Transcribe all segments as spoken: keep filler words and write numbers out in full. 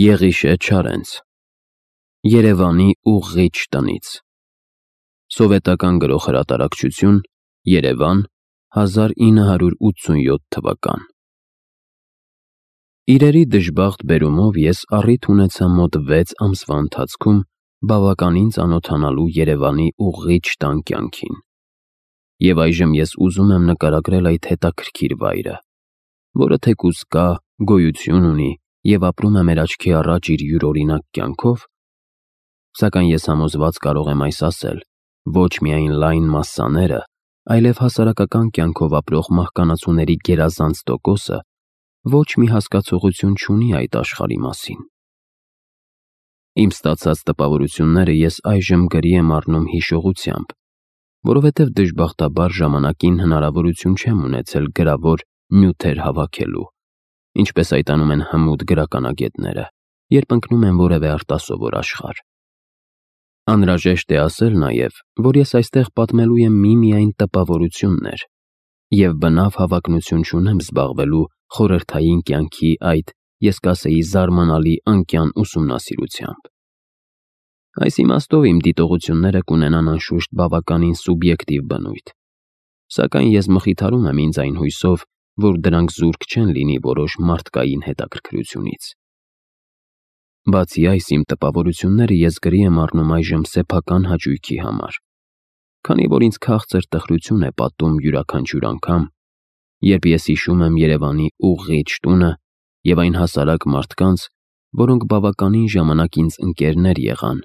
Եղիշե Չարենց Երևանի ուղղիչ տնից Սովետական գրող-հրատարակչություն Երևան հազար ինը հարյուր ութսունյոթ թվական Իրերի դժբախտ բերումով ես առիթ ունեցա մոտ վեց ամսվա ընթացքում բավականին ծանոթանալու Երևանի ուղղիչ տան կյանքին, և այժմ ես ուզում եմ նկարագրել այդ հետաքրքիր վայրը, որը թեկուզ կա, գոյություն ունի և ապրում է մեր աչքի առաջ իր յուրօրինակ կյանքով, սակայն ես համոզված կարող եմ այս ասել, ոչ միայն լայն մասսաները, այլև հասարակական կյանքով ապրող մահկանացուների գերազանց տոկոսը ոչ մի հասկացողություն չունի այդ աշխարհի մասին։ Իմ ստացած տպավորությունները ես այժմ գրի եմ առնում հիշողությամբ, որովհետև դժբախտաբար ժամանակին հնարավորություն չեմ ունեցել գրավոր նյութեր հավաքելու, ինչպես այդ անում են հմուտ գրականագետները, երբ ընկնում են որևէ արտասովոր աշխարհ։ Անհրաժեշտ է ասել նաև, որ ես այստեղ պատմելու եմ միմիայն տպավորություններ և բնավ հավակնություն չունեմ զբաղվելու խորհրդային կյանքի այդ, ես կասեի, զարմանալի անկյան ուսումնասիրությամբ։ Այս իմաստով իմ դիտողությունները կունենան անշուշտ բավականին սուբյեկտիվ բնույթ, սակայն ես մխիթարում եմ ինձ այն հույսով, որ դրանք զուրկ չեն լինի որոշ մարդկային հետաքրքրությունից։ Բացի այս, իմ տպավորությունները ես գրի եմ առնում այժմ սեփական հաճույքի համար, քանի որ ինձ քաղցր տխրություն է պատում յուրաքանչյուր անգամ, երբ ես հիշում եմ Երևանի ուղղիչ տունը և այն հասարակ մարդկանց, որոնք բավականին ժամանակ ինձ ընկերներ եղան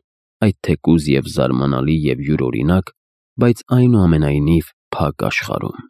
այդ թեկուզ և զարմանալի և յուրօրինակ, բայց այնուամենայնիվ փակ աշխարհում։